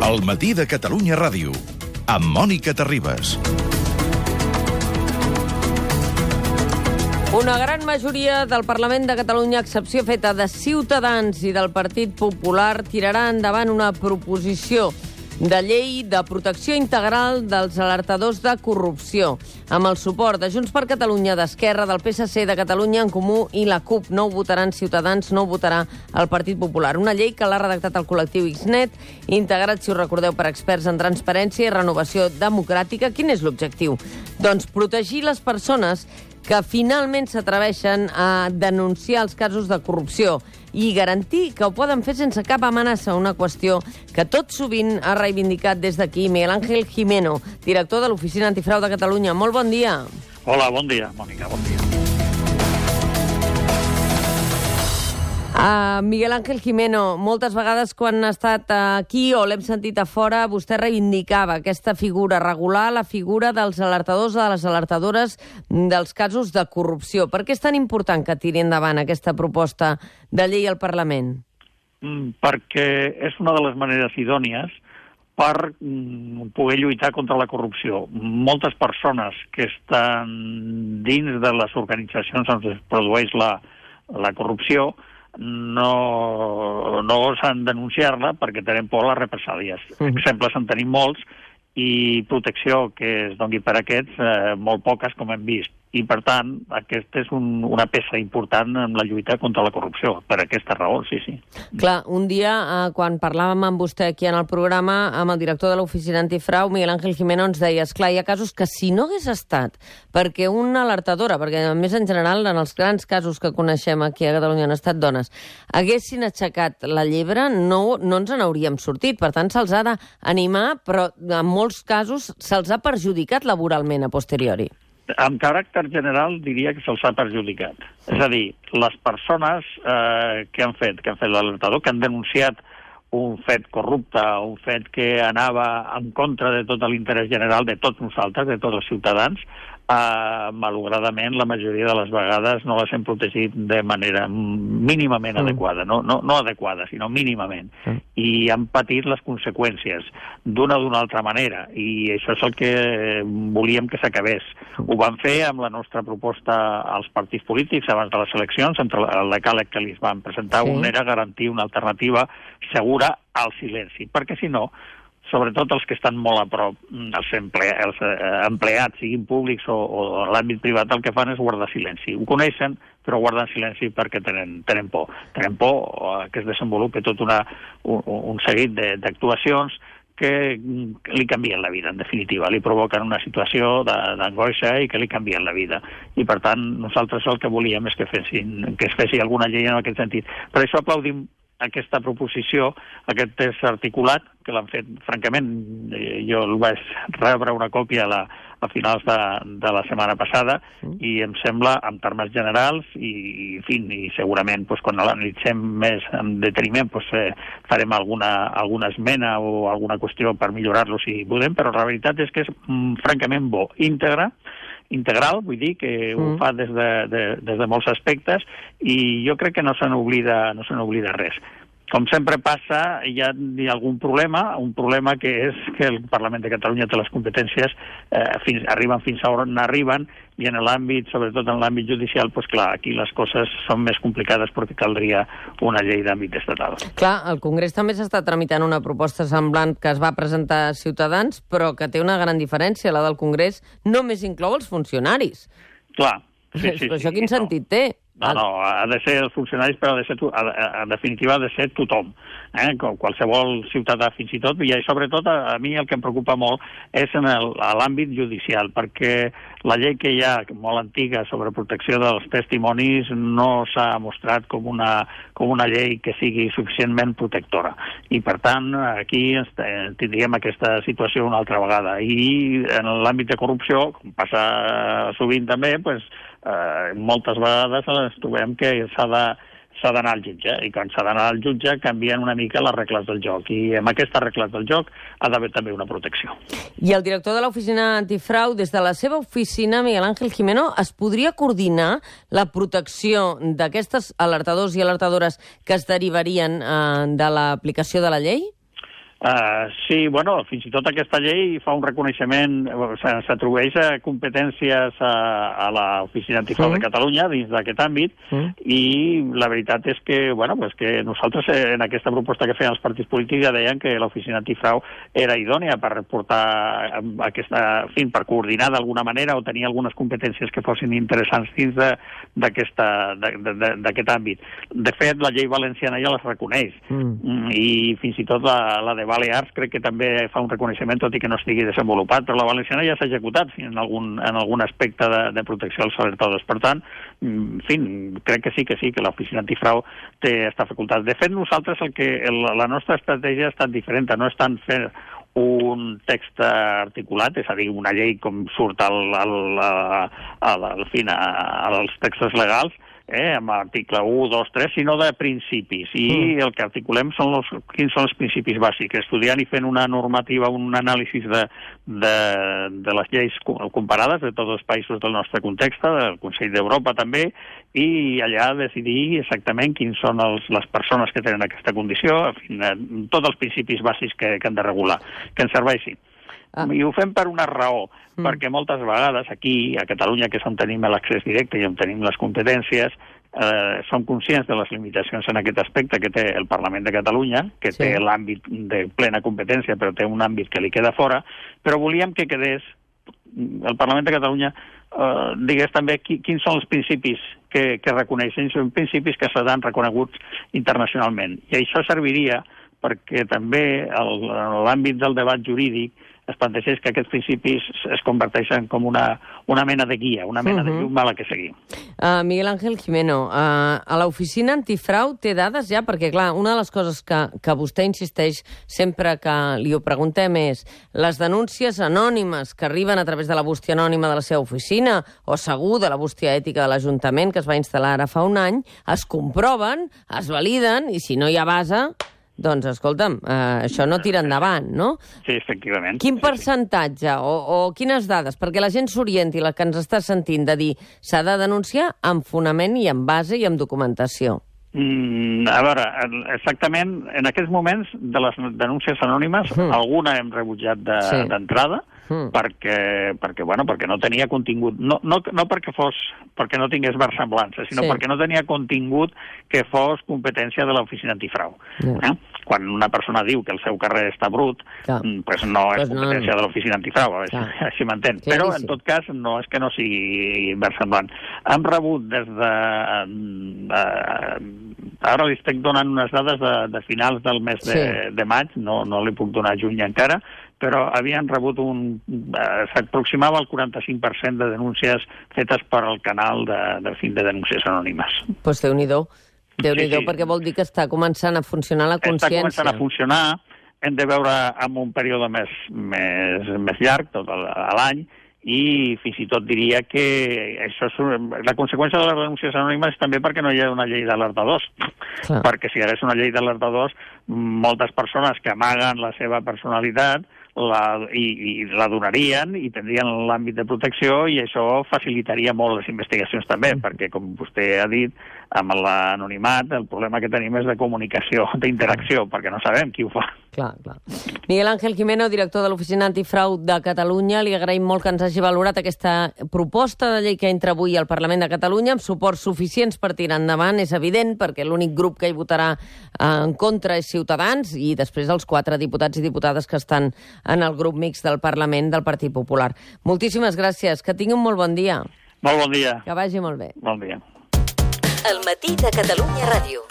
El matí de Catalunya Ràdio, amb Mònica Terribas. Una gran majoria del Parlament de Catalunya, a excepció feta de Ciutadans i del Partit Popular, tirarà endavant una proposició de llei de protecció integral dels alertadors de corrupció, amb el suport de Junts per Catalunya, d'Esquerra, del PSC, de Catalunya en Comú i la CUP. No ho votaran Ciutadans, no ho votarà el Partit Popular. Una llei que l'ha redactat el col·lectiu XNet, integrat, si us recordeu, per experts en transparència i renovació democràtica. Quin és l'objectiu? Doncs protegir les persones que finalment s'atreveixen a denunciar els casos de corrupció i garantir que ho poden fer sense cap amenaça, una qüestió que tot sovint ha reivindicat des d'aquí Miguel Ángel Gimeno, director de l'Oficina Antifrau de Catalunya. Molt bon dia. Hola, bon dia, Mònica, bon dia. Miguel Ángel Gimeno, moltes vegades quan ha estat aquí o l'hem sentit a fora, vostè reivindicava aquesta figura, regular la figura dels alertadors o de les alertadores dels casos de corrupció. Per què és tan important que tiri endavant aquesta proposta de llei al Parlament? Perquè és una de les maneres idònies per poder lluitar contra la corrupció. Moltes persones que estan dins de les organitzacions on es produeix la corrupció no osen denunciar-la perquè tenen por a les represàlies. Exemples en tenim molts i protecció que es doni per aquests, molt poques, com hem vist. I, per tant, aquesta és una peça important en la lluita contra la corrupció, per aquesta raó, sí. Clar, un dia, quan parlàvem amb vostè aquí en el programa, amb el director de l'Oficina Antifrau, Miguel Ángel Gimeno, ens deia, esclar, hi ha casos que si no hagués estat perquè una alertadora, perquè a més en general en els grans casos que coneixem aquí a Catalunya han estat dones, haguessin aixecat la llebre, no ens n'hauríem sortit. Per tant, se'ls ha d'animar, però en molts casos se'ls ha perjudicat laboralment a posteriori. En caràcter general diria que se'ls ha perjudicat. És a dir, les persones que han fet l'alertador, que han denunciat un fet corrupte, un fet que anava en contra de tot l'interès general de tots nosaltres, de tots els ciutadans, malauradament la majoria de les vegades no les hem protegit de manera mínimament adequada, no adequada, sinó mínimament, i han patit les conseqüències d'una o d'una altra manera, i això és el que volíem que s'acabés. Ho van fer amb la nostra proposta als partits polítics abans de les eleccions, entre el decàleg que li van presentar, un era garantir una alternativa segura al silenci, perquè si no, sobretot els que estan molt a prop, els empleats, siguin públics o a l'àmbit privat, el que fan és guardar silenci. Ho coneixen, però guarden silenci perquè tenen por. Tenen por que es desenvolupi tot un seguit d'actuacions que li canvien la vida, en definitiva. Li provoquen una situació d'angoixa i que li canvien la vida. I, per tant, nosaltres el que volíem és que es fessi alguna llei en aquest sentit. Per això aplaudim aquesta proposició, aquest text articulat, que l'han fet, francament, jo el vaig rebre una còpia a finals de la setmana passada i em sembla, en termes generals, i segurament quan l'analitzem més en deteniment farem alguna esmena o alguna qüestió per millorar-lo si podem, però la veritat és que és francament bo, integral, vull dir que ho fa des de molts aspectes i jo crec que no se n'oblida res. Com sempre passa, hi ha algun problema, un problema que és que el Parlament de Catalunya té les competències, arriben fins a on arriben, i en l'àmbit, sobretot en l'àmbit judicial, doncs clar, aquí les coses són més complicades perquè caldria una llei d'àmbit estatal. Clar, el Congrés també s'està tramitant una proposta semblant que es va presentar a Ciutadans, però que té una gran diferència. La del Congrés només inclou els funcionaris. Clar. Sí, això quin sentit té? No, ha de ser els funcionaris, però en definitiva ha de ser tothom, qualsevol ciutadà fins i tot, i sobretot a mi el que em preocupa molt és en l'àmbit judicial, perquè la llei que hi ha, molt antiga, sobre protecció dels testimonis, no s'ha mostrat com una llei que sigui suficientment protectora. I, per tant, aquí tindríem aquesta situació una altra vegada. I en l'àmbit de corrupció, com passa sovint també, moltes vegades ens trobem que s'ha d'anar al jutge, i quan s'ha d'anar al jutge canvien una mica les regles del joc, i amb aquestes regles del joc ha d'haver també una protecció. I el director de l'Oficina Antifrau, des de la seva oficina, Miguel Ángel Gimeno, es podria coordinar la protecció d'aquestes alertadors i alertadores que es derivarien de l'aplicació de la llei? Sí, bueno, fins i tot aquesta llei fa un reconeixement, s'atribueix a competències a l'Oficina Antifrau de Catalunya dins d'aquest àmbit, i la veritat és que, bueno, pues que nosaltres en aquesta proposta que feien els partits polítics ja deien que l'Oficina Antifrau era idònia per portar aquesta, en fi, per coordinar d'alguna manera o tenir algunes competències que fossin interessants dins d'aquest àmbit. De fet, la llei valenciana ja les reconeix, i fins i tot la de Balears crec que també fa un reconeixement, tot i que no estigui desenvolupat, però la valenciana ja s'ha executat en algun aspecte de protecció als alertadors. Per tant, en fi, crec que sí, que l'Oficina Antifrau té aquesta facultat. De fet, nosaltres la nostra estratègia ha estat diferent, no és tant fer un text articulat, és a dir, una llei com surt als textos legals, amb l'article 1, 2, 3, sinó de principis. I el que articulem quins són els principis bàsics, estudiant i fent una normativa, un anàlisi de les lleis comparades de tots els països del nostre context, del Consell d'Europa també, i allà decidir exactament quins són les persones que tenen aquesta condició, en fi, tots els principis bàsics que han de regular, que ens serveixin. I ho fem per una raó, perquè moltes vegades aquí, a Catalunya, que és on tenim l'accés directe i on tenim les competències, som conscients de les limitacions en aquest aspecte que té el Parlament de Catalunya, que té l'àmbit de plena competència, però té un àmbit que li queda fora, però volíem que quedés el Parlament de Catalunya digués també quins són els principis que reconeixen, són principis que seran reconeguts internacionalment. I això serviria perquè també en l'àmbit del debat jurídic es plantegés que aquests principis es converteixen com una mena de guia, una mena de llum a la que seguir. Miguel Ángel Gimeno, a l'Oficina Antifrau té dades ja? Perquè, clar, una de les coses que vostè insisteix sempre que li ho preguntem és les denúncies anònimes que arriben a través de la bústia anònima de la seva oficina o segur de la bústia ètica de l'Ajuntament que es va instal·lar ara fa un any, es comproven, es validen i si no hi ha base... Doncs, escolta'm, això no tira endavant, no? Sí, efectivament. Quin percentatge o quines dades? Perquè la gent s'orienti, la que ens està sentint, de dir s'ha de denunciar amb fonament i amb base i amb documentació. A veure, exactament, en aquests moments de les denúncies anònimes, alguna hem rebutjat d'entrada, perquè no tenia contingut, no perquè no tingués versemblança, sinó perquè no tenia contingut que fos competència de l'Oficina Antifrau. Quan una persona diu que el seu carrer està brut, doncs no és competència de l'Oficina Antifrau, així m'entén. Però, en tot cas, no és que no sigui versemblant. Hem rebut des de... Ara li estic donant unes dades de finals del mes de maig, no li puc donar juny encara, però havien rebut s'aproximava al 45% de denúncies fetes per al canal de denúncies anònimes. Doncs Déu-n'hi-do, perquè vol dir que està començant a funcionar la consciència. Està començant a funcionar, hem de veure en un període més llarg, tot l'any, i fins i tot diria que això la conseqüència de les denúncies anònimes és també perquè no hi ha una llei d'alertadors. Perquè si hi hagués una llei d'alertadors, moltes persones que amaguen la seva personalitat i la donarien i tindrien l'àmbit de protecció i això facilitaria molt les investigacions també, perquè, com vostè ha dit, amb l'anonimat el problema que tenim és de comunicació, d'interacció, perquè no sabem qui ho fa. Clar. Miguel Ángel Gimeno, director de l'Oficina Antifrau de Catalunya, li agraïm molt que ens hagi valorat aquesta proposta de llei que entra avui al Parlament de Catalunya amb suports suficients per tirar endavant, és evident, perquè l'únic grup que hi votarà en contra és Ciutadans i després els 4 diputats i diputades que estan en el grup mixt del Parlament del Partit Popular. Moltíssimes gràcies, que tingui un molt bon dia. Molt bon dia. Que vagi molt bé. Bon dia. El matí de Catalunya Ràdio.